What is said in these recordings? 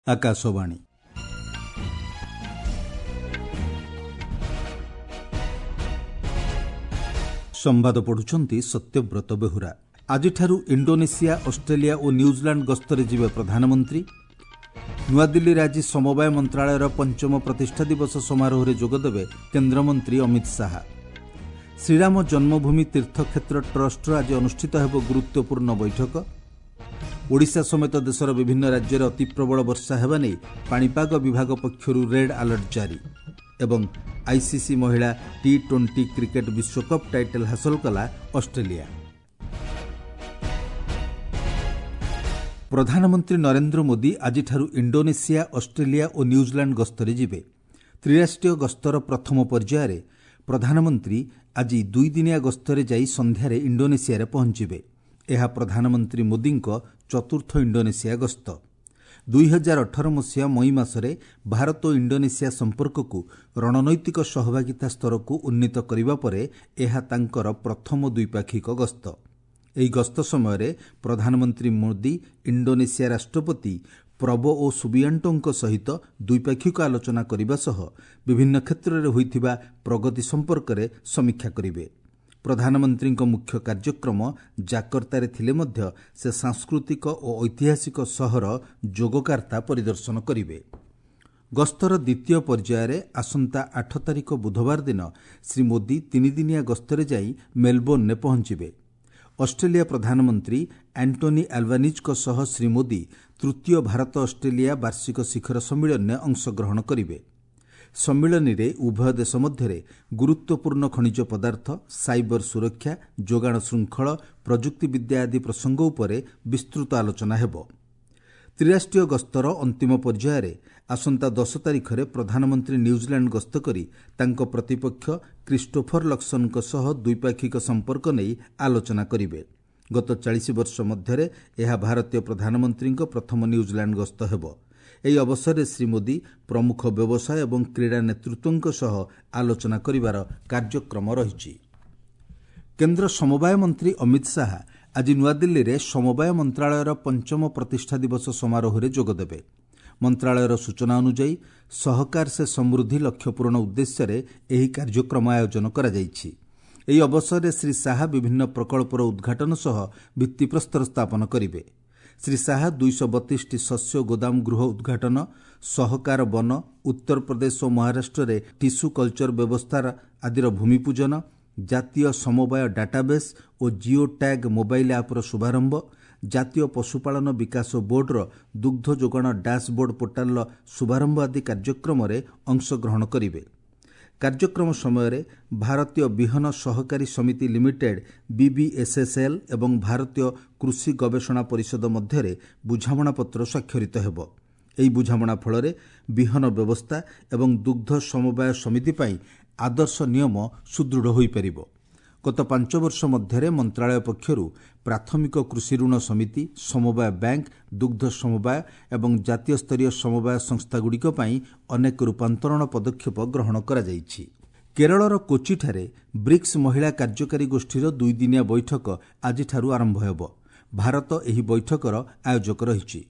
ଆକାଶବାଣୀ। ସମ୍ବାଦ ପଢୁଛନ୍ତି ସତ୍ୟବ୍ରତ ବେହୁରା। ଆଜିଠାରୁ ଇଣ୍ଡୋନେସିଆ, ଅଷ୍ଟ୍ରେଲିଆ ଓ ନ୍ୟୁଜିଲାଣ୍ଡ ଗସ୍ତରେ ଯିବେ ପ୍ରଧାନମନ୍ତ୍ରୀ। ନୂଆଦିଲ୍ଲୀରେ ଆଜି ସମବାୟ ମନ୍ତ୍ରଣାଳୟର ପଞ୍ଚମ ପ୍ରତିଷ୍ଠା ଦିବସ ସମାରୋହରେ ଯୋଗଦେବେ କେନ୍ଦ୍ରମନ୍ତ୍ରୀ ଅମିତ ଶାହା। ଶ୍ରୀରାମ ଜନ୍ମଭୂମି ତୀର୍ଥକ୍ଷେତ୍ର ଟ୍ରଷ୍ଟର ଆଜି ଅନୁଷ୍ଠିତ ହେବ ଗୁରୁତ୍ୱପୂର୍ଣ୍ଣ ବୈଠକ। ଓଡ଼ିଶା ସମେତ ଦେଶର ବିଭିନ୍ନ ରାଜ୍ୟରେ ଅତିପ୍ରବଳ ବର୍ଷା ହେବା ନେଇ ପାଣିପାଗ ବିଭାଗ ପକ୍ଷରୁ ରେଡ୍ ଆଲର୍ଟ ଜାରି। ଏବଂ ଆଇସିସି ମହିଳା ଟି-20 କ୍ରିକେଟ୍ ବିଶ୍ୱକପ୍ ଟାଇଟଲ୍ ହାସଲ କଲା ଅଷ୍ଟ୍ରେଲିଆ। ପ୍ରଧାନମନ୍ତ୍ରୀ ନରେନ୍ଦ୍ର ମୋଦି ଆଜିଠାରୁ ଇଣ୍ଡୋନେସିଆ, ଅଷ୍ଟ୍ରେଲିଆ ଓ ନ୍ୟୁଜିଲାଣ୍ଡ ଗସ୍ତରେ ଯିବେ। ତ୍ରିରାଷ୍ଟ୍ରୀୟ ଗସ୍ତର ପ୍ରଥମ ପର୍ଯ୍ୟାୟରେ ପ୍ରଧାନମନ୍ତ୍ରୀ ଆଜି ଦୁଇଦିନିଆ ଗସ୍ତରେ ଯାଇ ସନ୍ଧ୍ୟାରେ ଇଣ୍ଡୋନେସିଆରେ ପହଞ୍ଚିବେ। ଏହା ପ୍ରଧାନମନ୍ତ୍ରୀ ମୋଦିଙ୍କ ଚତୁର୍ଥ ଇଣ୍ଡୋନେସିଆ ଗସ୍ତ। 2018 ମସିହା ମଇ ମାସରେ ଭାରତ ଓ ଇଣ୍ଡୋନେସିଆ ସମ୍ପର୍କକୁ ରଣନୈତିକ ସହଭାଗିତା ସ୍ତରକୁ ଉନ୍ନୀତ କରିବା ପରେ ଏହା ତାଙ୍କର ପ୍ରଥମ ଦ୍ୱିପାକ୍ଷିକ ଗସ୍ତ। ଏହି ଗସ୍ତ ସମୟରେ ପ୍ରଧାନମନ୍ତ୍ରୀ ମୋଦି ଇଣ୍ଡୋନେସିଆ ରାଷ୍ଟ୍ରପତି ପ୍ରବୋଓ ସୁବିଆଣ୍ଟୋଙ୍କ ସହିତ ଦ୍ୱିପାକ୍ଷିକ ଆଲୋଚନା କରିବା ସହ ବିଭିନ୍ନ କ୍ଷେତ୍ରରେ ହୋଇଥିବା ପ୍ରଗତି ସମ୍ପର୍କରେ ସମୀକ୍ଷା କରିବେ। ପ୍ରଧାନମନ୍ତ୍ରୀଙ୍କ ମୁଖ୍ୟ କାର୍ଯ୍ୟକ୍ରମ ଜାକର୍ତ୍ତାରେ ଥିଲେ ମଧ୍ୟ ସେ ସାଂସ୍କୃତିକ ଓ ଐତିହାସିକ ସହର ଯୋଗକାର୍ତ୍ତା ପରିଦର୍ଶନ କରିବେ। ଗସ୍ତର ଦ୍ୱିତୀୟ ପର୍ଯ୍ୟାୟରେ ଆସନ୍ତା 8 ତାରିଖ ବୁଧବାର ଦିନ ଶ୍ରୀ ମୋଦି ତିନିଦିନିଆ ଗସ୍ତରେ ଯାଇ ମେଲବୋର୍ଣ୍ଣରେ ପହଞ୍ଚିବେ। ଅଷ୍ଟ୍ରେଲିଆ ପ୍ରଧାନମନ୍ତ୍ରୀ ଆଣ୍ଟୋନି ଆଲବାନିଜ୍ଙ୍କ ସହ ଶ୍ରୀ ମୋଦି ତୃତୀୟ ଭାରତ ଅଷ୍ଟ୍ରେଲିଆ ବାର୍ଷିକ ଶିଖର ସମ୍ମିଳନୀରେ ଅଂଶଗ୍ରହଣ କରିବେ। ସମ୍ମିଳନୀରେ ଉଭୟ ଦେଶ ମଧ୍ୟରେ ଗୁରୁତ୍ୱପୂର୍ଣ୍ଣ ଖଣିଜ ପଦାର୍ଥ, ସାଇବର ସୁରକ୍ଷା, ଯୋଗାଣ ଶୃଙ୍ଖଳ, ପ୍ରଯୁକ୍ତିବିଦ୍ୟା ଆଦି ପ୍ରସଙ୍ଗ ଉପରେ ବିସ୍ତୃତ ଆଲୋଚନା ହେବ। ତ୍ରିରାଷ୍ଟ୍ରୀୟ ଗସ୍ତର ଅନ୍ତିମ ପର୍ଯ୍ୟାୟରେ ଆସନ୍ତା 10 ତାରିଖରେ ପ୍ରଧାନମନ୍ତ୍ରୀ ନ୍ୟୁଜିଲାଣ୍ଡ ଗସ୍ତ କରି ତାଙ୍କ ପ୍ରତିପକ୍ଷ କ୍ରିଷ୍ଟୋଫର ଲକ୍ସନଙ୍କ ସହ ଦ୍ୱିପାକ୍ଷିକ ସମ୍ପର୍କ ନେଇ ଆଲୋଚନା କରିବେ। ଗତ 40 ବର୍ଷ ମଧ୍ୟରେ ଏହା ଭାରତୀୟ ପ୍ରଧାନମନ୍ତ୍ରୀଙ୍କ ପ୍ରଥମ ନ୍ୟୁଜିଲାଣ୍ଡ ଗସ୍ତ ହେବ। ଏହି ଅବସରରେ ଶ୍ରୀ ମୋଦି ପ୍ରମୁଖ ବ୍ୟବସାୟ ଏବଂ କ୍ରୀଡ଼ା ନେତୃତ୍ୱଙ୍କ ସହ ଆଲୋଚନା କରିବାର କାର୍ଯ୍ୟକ୍ରମ ରହିଛି। କେନ୍ଦ୍ର ସମବାୟ ମନ୍ତ୍ରୀ ଅମିତ ଶାହା ଆଜି ନୂଆଦିଲ୍ଲୀରେ ସମବାୟ ମନ୍ତ୍ରଣାଳୟର ପଞ୍ଚମ ପ୍ରତିଷ୍ଠା ଦିବସ ସମାରୋହରେ ଯୋଗଦେବେ। ମନ୍ତ୍ରଣାଳୟର ସୂଚନା ଅନୁଯାୟୀ ସହକାର ସେ ସମୃଦ୍ଧି ଲକ୍ଷ୍ୟ ପୂରଣ ଉଦ୍ଦେଶ୍ୟରେ ଏହି କାର୍ଯ୍ୟକ୍ରମ ଆୟୋଜନ କରାଯାଇଛି। ଏହି ଅବସରରେ ଶ୍ରୀ ଶାହା ବିଭିନ୍ନ ପ୍ରକଳ୍ପର ଉଦ୍ଘାଟନ ସହ ଭିତ୍ତିପ୍ରସ୍ତର ସ୍ଥାପନ କରିବେ। ଶ୍ରୀ ଶାହା 232ଟି ଶସ୍ୟ ଗୋଦାମ ଗୃହ ଉଦ୍ଘାଟନ, ସହକାର ବନ, ଉତ୍ତରପ୍ରଦେଶ ଓ ମହାରାଷ୍ଟ୍ରରେ ଟିସୁ କଲଚର ବ୍ୟବସ୍ଥା ଆଦିର ଭୂମିପୂଜନ, ଜାତୀୟ ସମବାୟ ଡାଟାବେସ୍ ଓ ଜିଓ ଟ୍ୟାଗ୍ ମୋବାଇଲ୍ ଆପ୍ର ଶୁଭାରମ୍ଭ, ଜାତୀୟ ପଶୁପାଳନ ବିକାଶ ବୋର୍ଡର ଦୁଗ୍ଧ ଯୋଗାଣ ଡାସବୋର୍ଡ ପୋର୍ଟାଲର ଶୁଭାରମ୍ଭ ଆଦି କାର୍ଯ୍ୟକ୍ରମରେ ଅଂଶଗ୍ରହଣ କରିବେ। କାର୍ଯ୍ୟକ୍ରମ ସମୟରେ ଭାରତୀୟ ବିହନ ସହକାରୀ ସମିତି ଲିମିଟେଡ୍ ବିବିଏସ୍ଏସ୍ଏଲ୍ ଏବଂ ଭାରତୀୟ କୃଷି ଗବେଷଣା ପରିଷଦ ମଧ୍ୟରେ ବୁଝାମଣାପତ୍ର ସ୍ୱାକ୍ଷରିତ ହେବ। ଏହି ବୁଝାମଣା ଫଳରେ ବିହନ ବ୍ୟବସ୍ଥା ଏବଂ ଦୁଗ୍ଧ ସମବାୟ ସମିତି ପାଇଁ ଆଦର୍ଶ ନିୟମ ସୁଦୃଢ଼ ହୋଇପାରିବ। ଗତ 5 ବର୍ଷ ମଧ୍ୟରେ ମନ୍ତ୍ରଣାଳୟ ପକ୍ଷରୁ ପ୍ରାଥମିକ କୃଷି ଋଣ ସମିତି, ସମବାୟ ବ୍ୟାଙ୍କ, ଦୁଗ୍ଧ ସମବାୟ ଏବଂ ଜାତୀୟ ସ୍ତରୀୟ ସମବାୟ ସଂସ୍ଥାଗୁଡ଼ିକ ପାଇଁ ଅନେକ ରୂପାନ୍ତରଣ ପଦକ୍ଷେପ ଗ୍ରହଣ କରାଯାଇଛି। କେରଳର କୋଚିଠାରେ ବ୍ରିକ୍ସ ମହିଳା କାର୍ଯ୍ୟକାରୀ ଗୋଷ୍ଠୀର ଦୁଇଦିନିଆ ବୈଠକ ଆଜିଠାରୁ ଆରମ୍ଭ ହେବ। ଭାରତ ଏହି ବୈଠକର ଆୟୋଜକ ରହିଛି।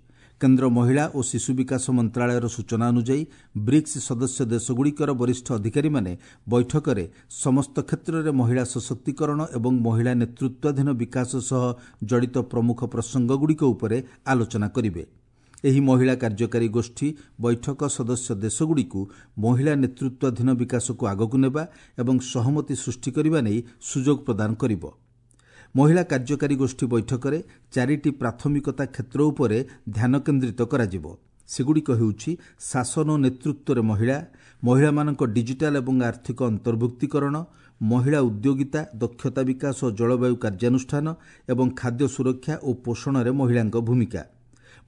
କେନ୍ଦ୍ର ମହିଳା ଓ ଶିଶୁ ବିକାଶ ମନ୍ତ୍ରଣାଳୟର ସୂଚନା ଅନୁଯାୟୀ ବ୍ରିକ୍ସ ସଦସ୍ୟ ଦେଶଗୁଡ଼ିକର ବରିଷ୍ଠ ଅଧିକାରୀମାନେ ବୈଠକରେ ସମସ୍ତ କ୍ଷେତ୍ରରେ ମହିଳା ସଶକ୍ତିକରଣ ଏବଂ ମହିଳା ନେତୃତ୍ୱାଧୀନ ବିକାଶ ସହ ଜଡ଼ିତ ପ୍ରମୁଖ ପ୍ରସଙ୍ଗଗୁଡ଼ିକ ଉପରେ ଆଲୋଚନା କରିବେ। ଏହି ମହିଳା କାର୍ଯ୍ୟକାରୀ ଗୋଷ୍ଠୀ ବୈଠକ ସଦସ୍ୟ ଦେଶଗୁଡ଼ିକୁ ମହିଳା ନେତୃତ୍ୱାଧୀନ ବିକାଶକୁ ଆଗକୁ ନେବା ଏବଂ ସହମତି ସୃଷ୍ଟି କରିବା ନେଇ ସୁଯୋଗ ପ୍ରଦାନ କରିବ। ମହିଳା କାର୍ଯ୍ୟକାରୀ ଗୋଷ୍ଠୀ ବୈଠକରେ 4ଟି ପ୍ରାଥମିକତା କ୍ଷେତ୍ର ଉପରେ ଧ୍ୟାନ କେନ୍ଦ୍ରିତ କରାଯିବ। ସେଗୁଡ଼ିକ ହେଉଛି ଶାସନ ଓ ନେତୃତ୍ୱରେ ମହିଳା, ମହିଳାମାନଙ୍କ ଡିଜିଟାଲ ଏବଂ ଆର୍ଥିକ ଅନ୍ତର୍ଭୁକ୍ତୀକରଣ, ମହିଳା ଉଦ୍ୟୋଗିତା, ଦକ୍ଷତା ବିକାଶ ଓ ଜଳବାୟୁ କାର୍ଯ୍ୟାନୁଷ୍ଠାନ ଏବଂ ଖାଦ୍ୟ ସୁରକ୍ଷା ଓ ପୋଷଣରେ ମହିଳାଙ୍କ ଭୂମିକା।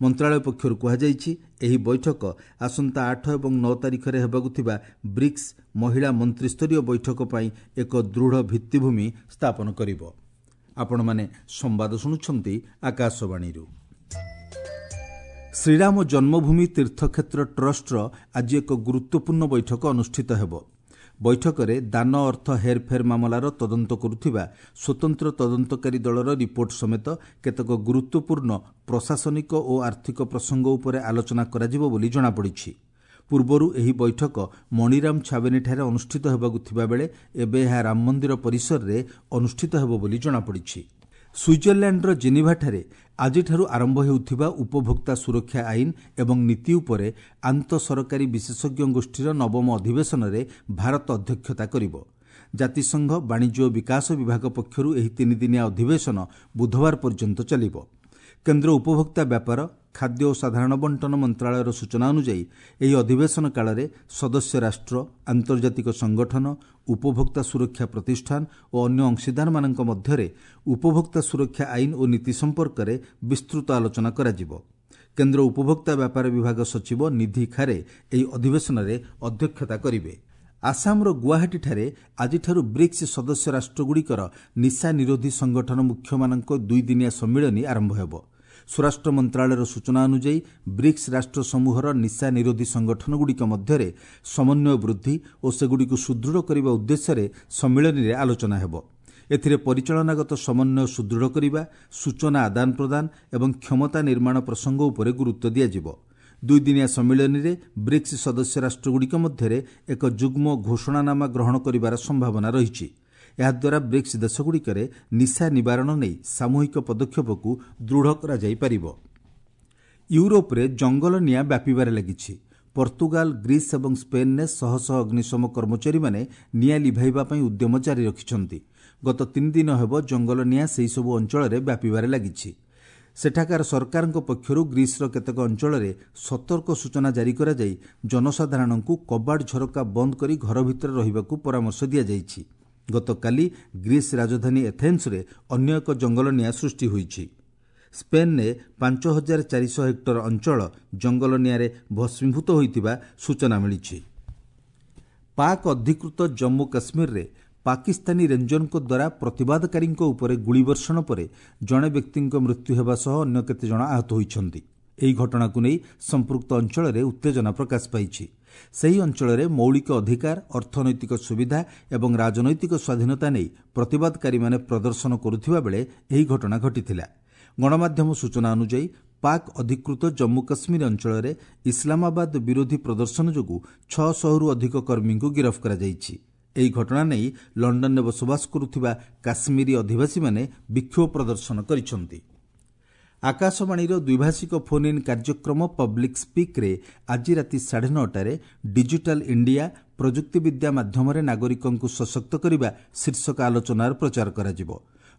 ମନ୍ତ୍ରଣାଳୟ ପକ୍ଷରୁ କୁହାଯାଇଛି, ଏହି ବୈଠକ ଆସନ୍ତା 8 ଏବଂ 9 ତାରିଖରେ ହେବାକୁ ଥିବା ବ୍ରିକ୍ସ ମହିଳା ମନ୍ତ୍ରିସ୍ତରୀୟ ବୈଠକ ପାଇଁ ଏକ ଦୃଢ଼ ଭିତ୍ତିଭୂମି ସ୍ଥାପନ କରିବ। ଆପଣମାନେ ସମ୍ବାଦ ଶୁଣୁଛନ୍ତି ଆକାଶବାଣୀରୁ। ଶ୍ରୀରାମ ଜନ୍ମଭୂମି ତୀର୍ଥକ୍ଷେତ୍ର ଟ୍ରଷ୍ଟର ଆଜି ଏକ ଗୁରୁତ୍ୱପୂର୍ଣ୍ଣ ବୈଠକ ଅନୁଷ୍ଠିତ ହେବ। ବୈଠକରେ ଦାନ ଅର୍ଥ ହେରଫେର ମାମଲାର ତଦନ୍ତ କରୁଥିବା ସ୍ୱତନ୍ତ୍ର ତଦନ୍ତକାରୀ ଦଳର ରିପୋର୍ଟ ସମେତ କେତେକ ଗୁରୁତ୍ୱପୂର୍ଣ୍ଣ ପ୍ରଶାସନିକ ଓ ଆର୍ଥିକ ପ୍ରସଙ୍ଗ ଉପରେ ଆଲୋଚନା କରାଯିବ ବୋଲି ଜଣାପଡ଼ିଛି। ପୂର୍ବରୁ ଏହି ବୈଠକ ମଣିରାମ ଛାବନୀଠାରେ ଅନୁଷ୍ଠିତ ହେବାକୁ ଥିବାବେଳେ ଏବେ ଏହା ରାମମନ୍ଦିର ପରିସରରେ ଅନୁଷ୍ଠିତ ହେବ ବୋଲି ଜଣାପଡ଼ିଛି। ସୁଇଜରଲ୍ୟାଣ୍ଡର ଜେନିଭାଠାରେ ଆଜିଠାରୁ ଆରମ୍ଭ ହେଉଥିବା ଉପଭୋକ୍ତା ସୁରକ୍ଷା ଆଇନ ଏବଂ ନୀତି ଉପରେ ଆନ୍ତଃ ସରକାରୀ ବିଶେଷଜ୍ଞ ଗୋଷ୍ଠୀର ନବମ ଅଧିବେଶନରେ ଭାରତ ଅଧ୍ୟକ୍ଷତା କରିବ। ଜାତିସଂଘ ବାଣିଜ୍ୟ ଓ ବିକାଶ ବିଭାଗ ପକ୍ଷରୁ ଏହି ତିନିଦିନିଆ ଅଧିବେଶନ ବୁଧବାର ପର୍ଯ୍ୟନ୍ତ ଚାଲିବ। କେନ୍ଦ୍ର ଉପଭୋକ୍ତା ବ୍ୟାପାର, ଖାଦ୍ୟ ଓ ସାଧାରଣ ବଣ୍ଟନ ମନ୍ତ୍ରଣାଳୟର ସୂଚନା ଅନୁଯାୟୀ ଏହି ଅଧିବେଶନ କାଳରେ ସଦସ୍ୟ ରାଷ୍ଟ୍ର, ଆନ୍ତର୍ଜାତିକ ସଂଗଠନ, ଉପଭୋକ୍ତା ସୁରକ୍ଷା ପ୍ରତିଷ୍ଠାନ ଓ ଅନ୍ୟ ଅଂଶୀଦାରମାନଙ୍କ ମଧ୍ୟରେ ଉପଭୋକ୍ତା ସୁରକ୍ଷା ଆଇନ ଓ ନୀତି ସମ୍ପର୍କରେ ବିସ୍ତୃତ ଆଲୋଚନା କରାଯିବ। କେନ୍ଦ୍ର ଉପଭୋକ୍ତା ବ୍ୟାପାର ବିଭାଗ ସଚିବ ନିଧି ଖାରେ ଏହି ଅଧିବେଶନରେ ଅଧ୍ୟକ୍ଷତା କରିବେ। ଆସାମର ଗୁଆହାଟୀଠାରେ ଆଜିଠାରୁ ବ୍ରିକ୍ସ ସଦସ୍ୟ ରାଷ୍ଟ୍ରଗୁଡ଼ିକର ନିଶା ନିରୋଧୀ ସଂଗଠନ ମୁଖ୍ୟମାନଙ୍କ ଦୁଇଦିନିଆ ସମ୍ମିଳନୀ ଆରମ୍ଭ ହେବ। ସ୍ୱରାଷ୍ଟ୍ର ମନ୍ତ୍ରଣାଳୟର ସୂଚନା ଅନୁଯାୟୀ ବ୍ରିକ୍ସ ରାଷ୍ଟ୍ର ସମୂହର ନିଶା ନିରୋଧୀ ସଂଗଠନଗୁଡ଼ିକ ମଧ୍ୟରେ ସମନ୍ୱୟ ବୃଦ୍ଧି ଓ ସେଗୁଡ଼ିକୁ ସୁଦୃଢ଼ କରିବା ଉଦ୍ଦେଶ୍ୟରେ ସମ୍ମିଳନୀରେ ଆଲୋଚନା ହେବ। ଏଥିରେ ପରିଚାଳନାଗତ ସମନ୍ୱୟ ସୁଦୃଢ଼ କରିବା, ସୂଚନା ଆଦାନ ପ୍ରଦାନ ଏବଂ କ୍ଷମତା ନିର୍ମାଣ ପ୍ରସଙ୍ଗ ଉପରେ ଗୁରୁତ୍ୱ ଦିଆଯିବ। ଦୁଇଦିନିଆ ସମ୍ମିଳନୀରେ ବ୍ରିକ୍ସ ସଦସ୍ୟ ରାଷ୍ଟ୍ରଗୁଡ଼ିକ ମଧ୍ୟରେ ଏକ ଯୁଗ୍ମ ଘୋଷଣାନାମା ଗ୍ରହଣ କରିବାର ସମ୍ଭାବନା ରହିଛି। ଏହାଦ୍ୱାରା ବ୍ରିକ୍ସ ଦେଶଗୁଡ଼ିକରେ ନିଶା ନିବାରଣ ନେଇ ସାମୂହିକ ପଦକ୍ଷେପକୁ ଦୃଢ଼ କରାଯାଇପାରିବ। ୟୁରୋପରେ ଜଙ୍ଗଲ ନିଆଁ ବ୍ୟାପିବାରେ ଲାଗିଛି। ପର୍ତ୍ତୁଗାଲ, ଗ୍ରୀସ୍ ଏବଂ ସ୍ପେନ୍ରେ ଶହ ଶହ ଅଗ୍ନିଶମ କର୍ମଚାରୀମାନେ ନିଆଁ ଲିଭାଇବା ପାଇଁ ଉଦ୍ୟମ ଜାରି ରଖିଛନ୍ତି। ଗତ 3 ଦିନ ହେବ ଜଙ୍ଗଲ ନିଆଁ ସେହିସବୁ ଅଞ୍ଚଳରେ ବ୍ୟାପିବାରେ ଲାଗିଛି। ସେଠାକାର ସରକାରଙ୍କ ପକ୍ଷରୁ ଗ୍ରୀସ୍ର କେତେକ ଅଞ୍ଚଳରେ ସତର୍କ ସୂଚନା ଜାରି କରାଯାଇ ଜନସାଧାରଣଙ୍କୁ କବାଟ ଝରକା ବନ୍ଦ କରି ଘର ଭିତରେ ରହିବାକୁ ପରାମର୍ଶ ଦିଆଯାଇଛି। ଗତକାଲି ଗ୍ରୀସ୍ ରାଜଧାନୀ ଏଥେନ୍ସରେ ଅନ୍ୟ ଏକ ଜଙ୍ଗଲ ନିଆଁ ସୃଷ୍ଟି ହୋଇଛି। ସ୍ପେନ୍ରେ 5400 ହେକ୍ଟର ଅଞ୍ଚଳ ଜଙ୍ଗଲ ନିଆଁରେ ଭସ୍ମୀଭୂତ ହୋଇଥିବା ସୂଚନା ମିଳିଛି। ପାକ୍ ଅଧିକୃତ ଜମ୍ମୁ କାଶ୍ମୀରରେ ପାକିସ୍ତାନୀ ରେଞ୍ଜରଙ୍କ ଦ୍ୱାରା ପ୍ରତିବାଦକାରୀଙ୍କ ଉପରେ ଗୁଳିବର୍ଷଣ ପରେ ଜଣେ ବ୍ୟକ୍ତିଙ୍କ ମୃତ୍ୟୁ ହେବା ସହ ଅନ୍ୟ କେତେଜଣ ଆହତ ହୋଇଛନ୍ତି। ଏହି ଘଟଣାକୁ ନେଇ ସମ୍ପୃକ୍ତ ଅଞ୍ଚଳରେ ଉତ୍ତେଜନା ପ୍ରକାଶ ପାଇଛି। ସେହି ଅଞ୍ଚଳରେ ମୌଳିକ ଅଧିକାର, ଅର୍ଥନୈତିକ ସୁବିଧା ଏବଂ ରାଜନୈତିକ ସ୍ୱାଧୀନତା ନେଇ ପ୍ରତିବାଦକାରୀମାନେ ପ୍ରଦର୍ଶନ କରୁଥିବା ବେଳେ ଏହି ଘଟଣା ଘଟିଥିଲା। ଗଣମାଧ୍ୟମ ସୂଚନା ଅନୁଯାୟୀ ପାକ୍ ଅଧିକୃତ ଜମ୍ମୁ କାଶ୍ମୀର ଅଞ୍ଚଳରେ ଇସଲାମାବାଦ ବିରୋଧୀ ପ୍ରଦର୍ଶନ ଯୋଗୁଁ 600ରୁ ଅଧିକ କର୍ମୀଙ୍କୁ ଗିରଫ କରାଯାଇଛି। ଏହି ଘଟଣା ନେଇ ଲଣ୍ଡନରେ ବସବାସ କରୁଥିବା କାଶ୍ମୀରୀ ଅଧିବାସୀମାନେ ବିକ୍ଷୋଭ ପ୍ରଦର୍ଶନ କରିଛନ୍ତି। ଆକାଶବାଣୀର ଦ୍ୱିଭାଷିକ ଫୋନ୍ ଇନ୍ କାର୍ଯ୍ୟକ୍ରମ ପବ୍ଲିକ୍ ସ୍ପିକ୍ରେ ଆଜି ରାତି 9:30ରେ ଡିଜିଟାଲ ଇଣ୍ଡିଆ ପ୍ରଯୁକ୍ତିବିଦ୍ୟା ମାଧ୍ୟମରେ ନାଗରିକଙ୍କୁ ସଶକ୍ତ କରିବା ଶୀର୍ଷକ ଆଲୋଚନାର ପ୍ରଚାର କରାଯିବ।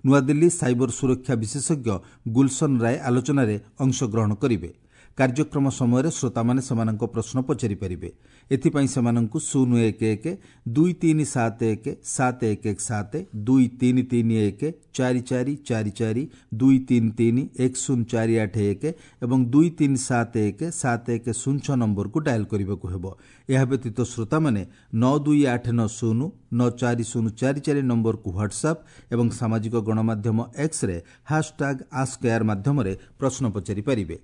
ନୂଆଦିଲ୍ଲୀ ସାଇବର ସୁରକ୍ଷା ବିଶେଷଜ୍ଞ ଗୁଲସନ ରାୟ ଆଲୋଚନାରେ ଅଂଶଗ୍ରହଣ କରିବେ। କାର୍ଯ୍ୟକ୍ରମ ସମୟରେ ଶ୍ରୋତାମାନେ ସେମାନଙ୍କ ପ୍ରଶ୍ନ ପଚାରିପାରିବେ। ଏଥିପାଇଁ ସେମାନଙ୍କୁ 011 2371 7117 2331 4444 233 10481 ଏବଂ 2371 7106 ନମ୍ବରକୁ ଡାଏଲ୍ କରିବାକୁ ହେବ। ଏହା ବ୍ୟତୀତ ଶ୍ରୋତାମାନେ 92890 94044 ନମ୍ବରକୁ ହ୍ୱାଟ୍ସଆପ୍ ଏବଂ ସାମାଜିକ ଗଣମାଧ୍ୟମ ଏକ୍ସରେ ହ୍ୟାସ୍ଟ୍ୟାଗ୍ ଆସ୍କ ଏୟାର ମାଧ୍ୟମରେ ପ୍ରଶ୍ନ ପଚାରିପାରିବେ।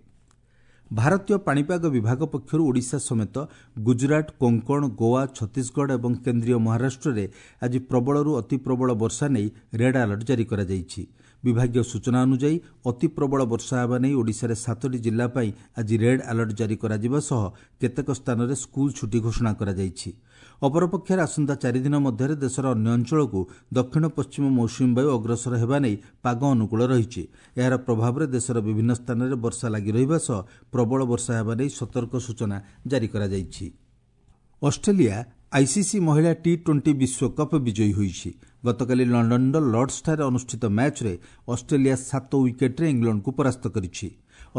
ଭାରତୀୟ ପାଣିପାଗ ବିଭାଗ ପକ୍ଷରୁ ଓଡ଼ିଶା ସମେତ ଗୁଜରାଟ, କୋଙ୍କଣ, ଗୋଆ, ଛତିଶଗଡ଼ ଏବଂ କେନ୍ଦ୍ରୀୟ ମହାରାଷ୍ଟ୍ରରେ ଆଜି ପ୍ରବଳରୁ ଅତି ପ୍ରବଳ ବର୍ଷା ନେଇ ରେଡ୍ ଆଲର୍ଟ ଜାରି କରାଯାଇଛି। ବିଭାଗୀୟ ସୂଚନା ଅନୁଯାୟୀ ଅତି ପ୍ରବଳ ବର୍ଷା ହେବା ନେଇ ଓଡ଼ିଶାରେ 7ଟି ଜିଲ୍ଲା ପାଇଁ ଆଜି ରେଡ୍ ଆଲର୍ଟ ଜାରି କରାଯିବା ସହ କେତେକ ସ୍ଥାନରେ ସ୍କୁଲ ଛୁଟି ଘୋଷଣା କରାଯାଇଛି। ଅପରପକ୍ଷରେ ଆସନ୍ତା 4 ଦିନ ମଧ୍ୟରେ ଦେଶର ଅନ୍ୟ ଅଞ୍ଚଳକୁ ଦକ୍ଷିଣ ପଶ୍ଚିମ ମୌସୁମୀ ବାୟୁ ଅଗ୍ରସର ହେବା ନେଇ ପାଗ ଅନୁକୂଳ ରହିଛି। ଏହାର ପ୍ରଭାବରେ ଦେଶର ବିଭିନ୍ନ ସ୍ଥାନରେ ବର୍ଷା ଲାଗି ରହିବା ସହ ପ୍ରବଳ ବର୍ଷା ହେବା ନେଇ ସତର୍କ ସୂଚନା ଜାରି କରାଯାଇଛି। ଅଷ୍ଟ୍ରେଲିଆ ଆଇସିସି ମହିଳା ଟି-20 ବିଶ୍ୱକପ୍ ବିଜୟୀ ହୋଇଛି। ଗତକାଲି ଲଣ୍ଡନର ଲର୍ଡସଠାରେ ଅନୁଷ୍ଠିତ ମ୍ୟାଚ୍ରେ ଅଷ୍ଟ୍ରେଲିଆ 7 ୱିକେଟ୍ରେ ଇଂଲଣ୍ଡକୁ ପରାସ୍ତ କରିଛି।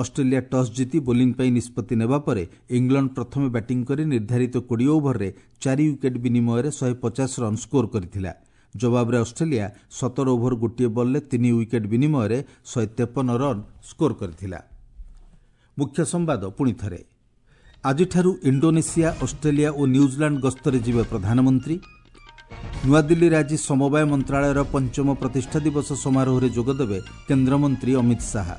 ଅଷ୍ଟ୍ରେଲିଆ ଟସ୍ ଜିତି ବୋଲିଂ ପାଇଁ ନିଷ୍ପତ୍ତି ନେବା ପରେ ଇଂଲଣ୍ଡ ପ୍ରଥମେ ବ୍ୟାଟିଂ କରି ନିର୍ଦ୍ଧାରିତ 20 ଓଭରରେ 4 ୱିକେଟ୍ ବିନିମୟରେ 150 ରନ୍ ସ୍କୋର କରିଥିଲା। ଜବାବରେ ଅଷ୍ଟ୍ରେଲିଆ 17 ଓଭର 1 ବଲ୍ରେ 3 ୱିକେଟ୍ ବିନିମୟରେ 153 ରନ୍ ସ୍କୋର କରିଥିଲା। ମୁଖ୍ୟ ସମ୍ବାଦ ପୁଣିଥରେ। ଆଜିଠାରୁ ଇଣ୍ଡୋନେସିଆ, ଅଷ୍ଟ୍ରେଲିଆ ଓ ନ୍ୟୁଜିଲାଣ୍ଡ ଗସ୍ତରେ ଯିବେ ପ୍ରଧାନମନ୍ତ୍ରୀ। ନୂଆଦିଲ୍ଲୀରେ ଆଜି ସମବାୟ ମନ୍ତ୍ରଣାଳୟର 5ମ ପ୍ରତିଷ୍ଠା ଦିବସ ସମାରୋହରେ ଯୋଗଦେବେ କେନ୍ଦ୍ରମନ୍ତ୍ରୀ ଅମିତ ଶାହା।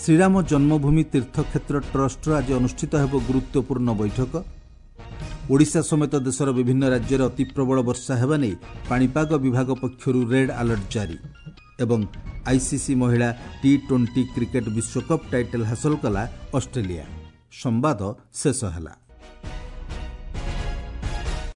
ଶ୍ରୀରାମ ଜନ୍ମଭୂମି ତୀର୍ଥକ୍ଷେତ୍ର ଟ୍ରଷ୍ଟର ଆଜି ଅନୁଷ୍ଠିତ ହେବ ଗୁରୁତ୍ୱପୂର୍ଣ୍ଣ ବୈଠକ। ଓଡ଼ିଶା ସମେତ ଦେଶର ବିଭିନ୍ନ ରାଜ୍ୟରେ ଅତିପ୍ରବଳ ବର୍ଷା ହେବା ନେଇ ପାଣିପାଗ ବିଭାଗ ପକ୍ଷରୁ ରେଡ୍ ଆଲର୍ଟ ଜାରି। ଏବଂ ଆଇସିସି ମହିଳା ଟି-20 କ୍ରିକେଟ୍ ବିଶ୍ୱକପ୍ ଟାଇଟଲ୍ ହାସଲ କଲା ଅଷ୍ଟ୍ରେଲିଆ। ସମ୍ବାଦ ଶେଷ ହେଲା।